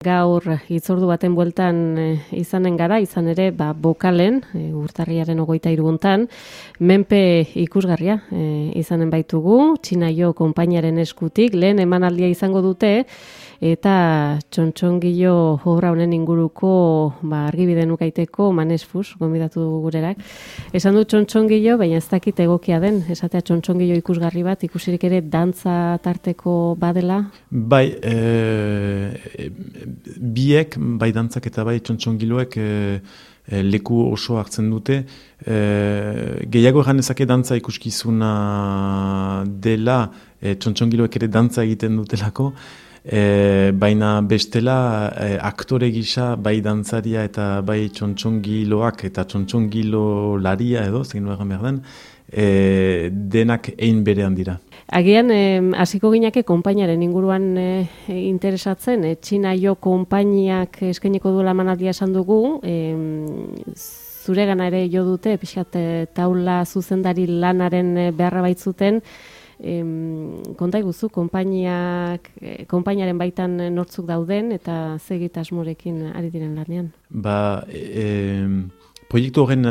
Gaur hitzordu baten bueltan izanen gara, izan ere bokalen, urtarriaren 23 hontan, menpe ikusgarria izanen baitugu, Txinaio konpainiaren eskutik, lehen emanaldia izango dute, eta txontxongilo obra honen inguruko argibide nukaiteko Manesfus, gonbidatu gurerak. Esan du txontxongilo, baina ez dakit egokia den, esatea txontxongilo ikusgarri bat, ikusirik ere dantza tarteko badela? Bai, biek, bai dantzak eta bai txontxongiloek leku oso hartzen dute. Gehiago egan ezake dantza ikuskizuna dela, txontxongiloek ere dantza egiten dutelako, baina bestela aktore gisa bai dantzaria eta bai txontxongiloak eta txontxongilolaria edo, zegin egan behar den, denak ein berean dira. Agian, hasiko ginake konpainiaren inguruan interesatzen, Txinaio konpainiak eskainiko duela emanaldia esan dugu, zuregana ere jo dute, pixkat taula zuzendari lanaren beharra baitzuten, konta iguzu, konpainiaren baitan nortzuk dauden eta zegitasmorekin ari diren lanean? Proiektu horren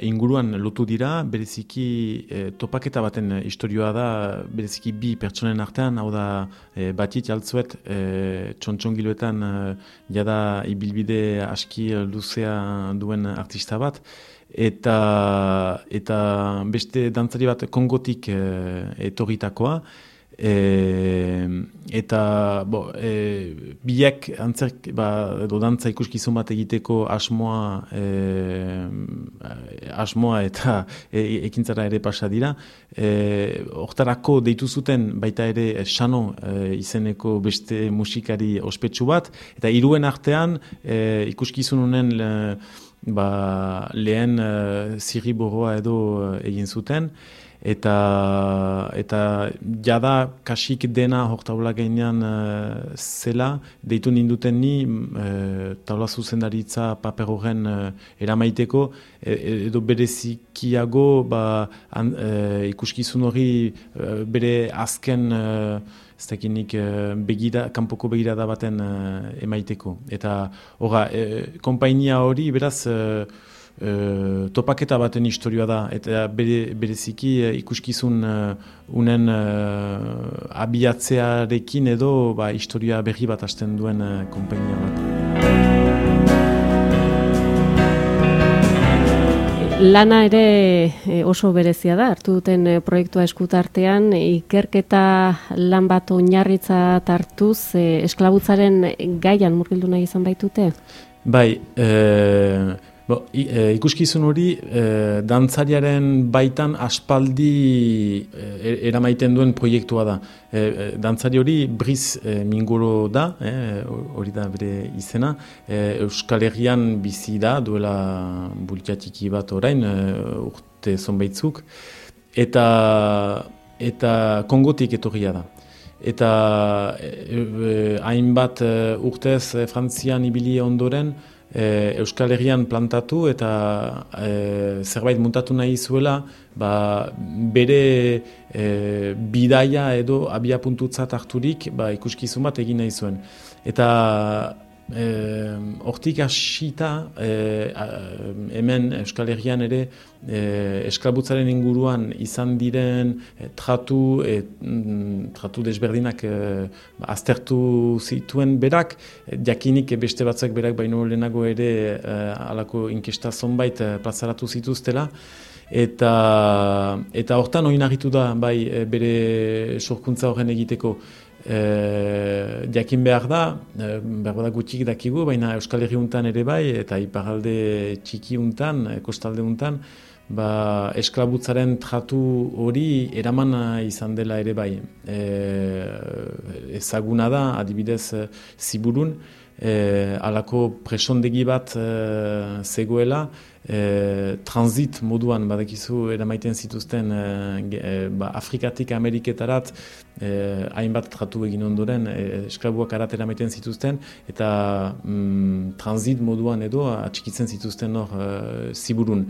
inguruan lotu dira, bereziki topaketa baten istorioa da, bereziki bi pertsonen artean, hau da batit jaltzuet txontxongiloetan jada ibilbide aski luzea duen artista bat, eta beste dantzari bat Kongotik etorritakoa, eta biak antzerk edo dantza ikuskizun bat egiteko asmoa eta ekintzara ere pasa dira. Hortarako deitu zuten baita ere Xano izeneko beste musikari ospetsu bat, eta hiruen artean ikuskizun honen lehen zirriborroa edo egin zuten, eta jada kasik dena hor taula gainean zela, deitu ninduten ni taula zuzendaritza paper horren eramaiteko, edo berezikiago ikuskizun hori bere azken kanpoko begirada baten emaiteko. Eta konpainia hori beraz topaketa baten historioa da, eta bereziki ikuskizun unen abiatzearekin edo historia berri bat hasten duen konpainia bat. Lana ere oso berezia da, hartu duten proiektua eskutartean, ikerketa lan bat oinarritzat hartuz, esklabutzaren gaian murgildu nahi izan baitute? Bai, ikuskizun hori dantzariaren baitan aspaldi eramaiten duen proiektua da. Dantzari hori Briz Mingoro da, hori da bere izena, Euskal Herrian bizi da, duela bultiatiki bat orain, urte zonbaitzuk, eta Kongotik etorria da. Eta hainbat urtez Frantzian ibili ondoren, Euskal Herrian plantatu eta zerbait muntatu nahi zuela, bere bidaia edo abiapuntutzat harturik ikuskizun bat egin nahi zuen. Eta hortik hasita hemen Euskal Herrian ere esklabutzaren inguruan izan diren tratu desberdinak aztertu zituen berak, jakinik beste batzak berak baino lehenago ere halako inkesta zonbait plazaratu zituztela, eta hortan oinarritu da bere sorkuntza horren egiteko. Jakin behar da gutxik dakigu, baina Euskal Herri untan ere bai, eta iparralde txiki untan, kostalde untan, esklabutzaren tratu hori eraman izan dela ere bai. Ezaguna da, adibidez Ziburun, halako presondegi bat zegoela, transit moduan badakizu eramaiten zituzten Afrikatik Ameriketarat hainbat tratu egin ondoren esklabuak arat eramaiten zituzten, eta transit moduan edo atxikitzen zituzten hor Ziburun.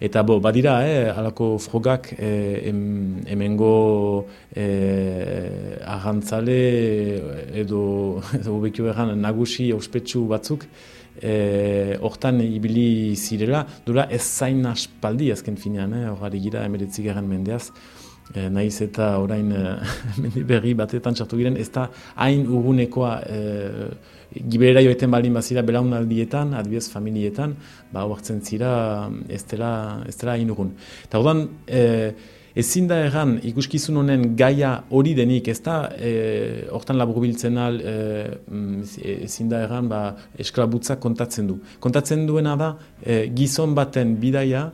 Eta badira, halako frogak hemengo arrantzale edo bekio erran nagusi ospetsu batzuk hortan ibili zirela, dura ez zain aspaldi azken finean, horari gira 19. mendeaz, nahiz eta orain mende berri batetan txartu giren, ez da hain urgunekoa giberera joeten baldin bazira belaunaldietan, adibidez familietan, hartzen zira ez dela hain urgun. Eta ordan, ezin da erran ikuskizun honen gaia hori denik, ez da hortan laburbiltzen ezin da erran esklabutza kontatzen du. Kontatzen duena da gizon baten bidaia,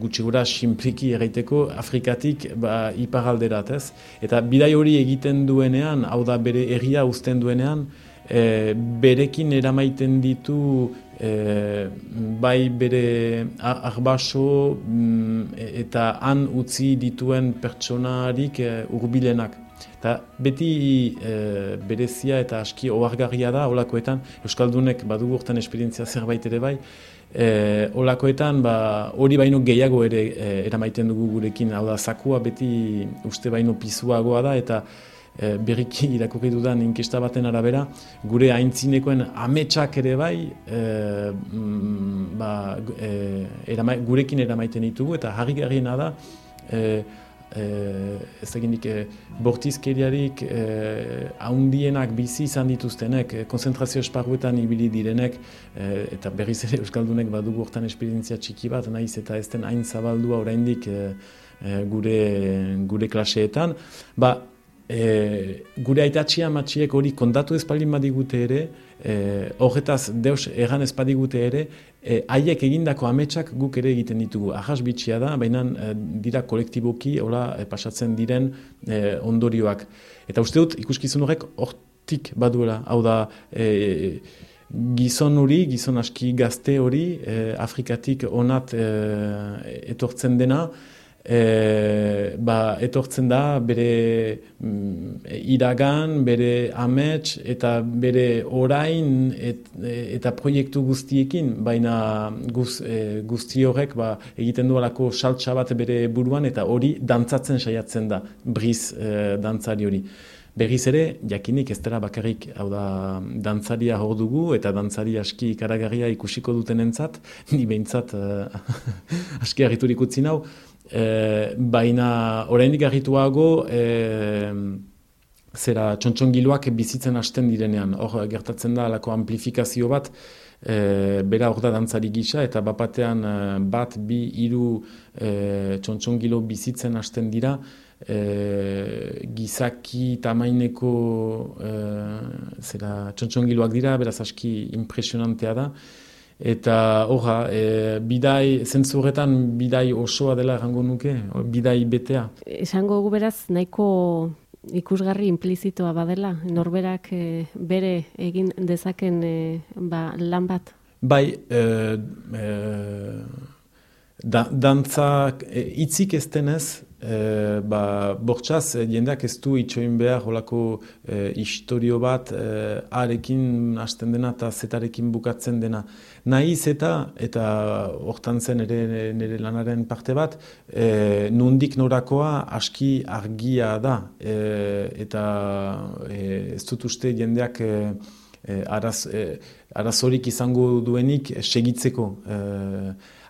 gutxi gura sinpliki erraiteko Afrikatik iparalderat, ez? Eta bidai hori egiten duenean, hau da bere herria uzten duenean, berekin eramaiten ditu bai bere arbaso eta han utzi dituen pertsonarik hurbilenak. Eta beti berezia eta aski ohargarria da holakoetan, euskaldunek badugu hortan esperientzia zerbait ere bai, holakoetan hori baino gehiago ere eramaiten dugu gurekin, hau da zakua beti uste baino pizuagoa da eta berriki irakurri dudan inkesta baten arabera, gure aintzinekoen ametsak ere bai gurekin eramaiten ditugu eta harrigarriena da ez dakinik bortizkeriarik haundienak bizi izan dituztenek, konzentrazio esparruetan ibili direnek eta berriz ere euskaldunek badugu hortan esperientzia txiki bat, nahiz eta ez den hain zabaldua oraindik gure klaseetan, gure aitatxia amatxiek hori kontatu ez baldin badigute ere, horretaz deus erran ez badigute ere, haiek egindako ametsak guk ere egiten ditugu. Ahas bitxia da, baina dira kolektiboki pasatzen diren ondorioak. Eta uste dut ikuskizun horrek hortik baduela, hau da gizon aski gazte hori, Afrikatik onat etortzen dena, etortzen da bere iragan, bere amets eta bere orain eta proiektu guztiekin, baina guzti horrek egiten du alako saltsa bat bere buruan eta hori dantzatzen saiatzen da, briz dantzari hori. Berriz ere, jakinik ez dela bakarrik, hau da, dantzaria hor dugu eta dantzari aski ikaragarria ikusiko dutenentzat, ni behintzat aski harriturik utzi nau, baina oraindik harrituago zera txontxongiloak bizitzen hasten direnean. Hor gertatzen da alako amplifikazio bat, bera hor da dantzari gisa eta bapatean 1, 2, 3 txontxongilo bizitzen hasten dira, gizaki tamaineko txontxongiloak dira, beraz aski impresionantea da. Eta bidai, zentzu horretan bidai osoa dela errango nuke, bidai betea. Esango gu beraz, nahiko ikusgarri implizitoa badela, norberak bere egin dezaken lan bat? Bai, dantzak hitzik ez denez, bortxaz, jendeak ez du itxoin behar holako historio bat arekin hasten dena eta zetarekin bukatzen dena. Nahiz eta hortan zen nire lanaren parte bat, nondik norakoa aski argia da. Eta ez dut uste jendeak arazorik izango duenik segitzeko.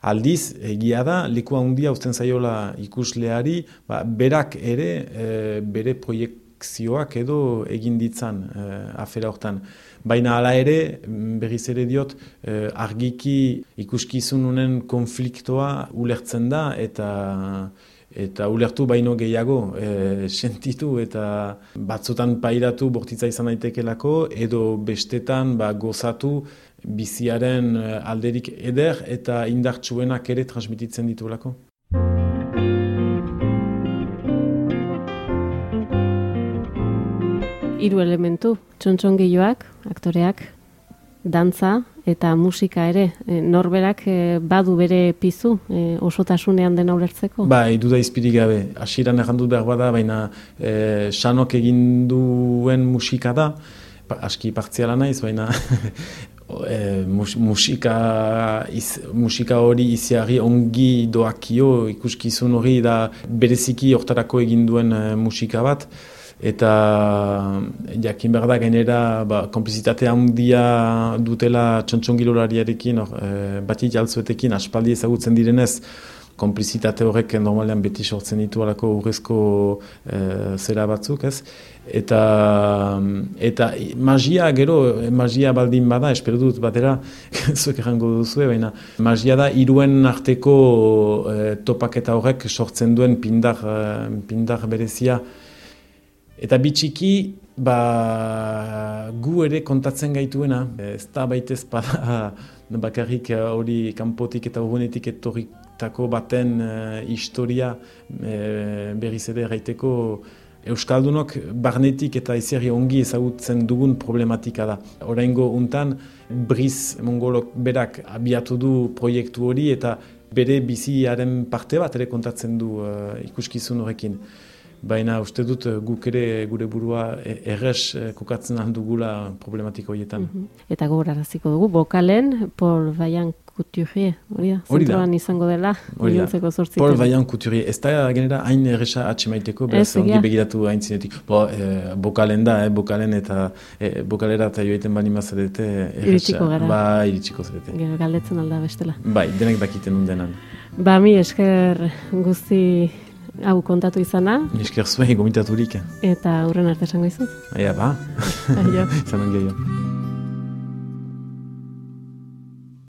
Aldiz, egia da, leku handia uzten zaiola ikusleari, berak ere bere proiekzioak edo egin ditzan afera hortan. Baina hala ere, berriz ere diot, argiki ikuskizununen konfliktoa ulertzen da eta ulertu baino gehiago sentitu eta batzutan pairatu bortitza izan daitekelako edo bestetan gozatu biziaren alderik eder eta indartsuenak ere transmititzen ditulako. Hiru elementu, txontxongiloak, aktoreak, dantza eta musika ere. Norberak badu bere pizu osotasunean dena ulertzeko? Duda izpirik gabe. Hasieran errandut behar bada, baina Xanok egin duen musika da, aski partziala naiz, baina musika hori iziari ongi doakio, ikuskizun hori da bereziki hortarako egin duen musika bat, eta jakin behar da gainera konplizitate handia dutela txontxongilolariarekin, Bati Jaltzuetekin aspaldi ezagutzen direnez, konplizitate horrek normalean beti sortzen ditu alako urrezko zera batzuk, ez? Eta magia baldin bada, espero dut batera, zuek errango duzue, baina magia da hiruen arteko topaketa horrek sortzen duen pindar berezia. Eta bitxiki, gu ere kontatzen gaituena, ez da baitez bada bakarrik hori kanpotik eta urgunetik etorritako baten historia berriz ere erraiteko Euskaldunok barnetik eta izerri ongi ezagutzen dugun problematika da. Oraingo untan, Briz Mongolok berak abiatu du proiektu hori eta bere biziaren parte bat ere kontatzen du ikuskizun horrekin. Baina uste dut guk ere gure burua errez kokatzen handugula problematika horietan. Eta gogoraraziko dugu, bokalen Paul Vaillant Couturier, hori da? Zentroan izango dela, iluntzeko 8. Paul Vaillant Couturier, ez da genera hain erreza atxemaiteko, beraz ongi begiratu hain zinetik. Bokalen da, bokalen eta bokalera eta joaiten bani mazarete iritsiko gara. Iritsiko zarete. Gero galdetzen alda bestela. Bai, denek dakiten undenan. Mi esker guzti hau kontatu izana. Esker zuen gomitaturik. Eta hurren arte esango izut. Aia, ba. Aio. Zanon gehiago.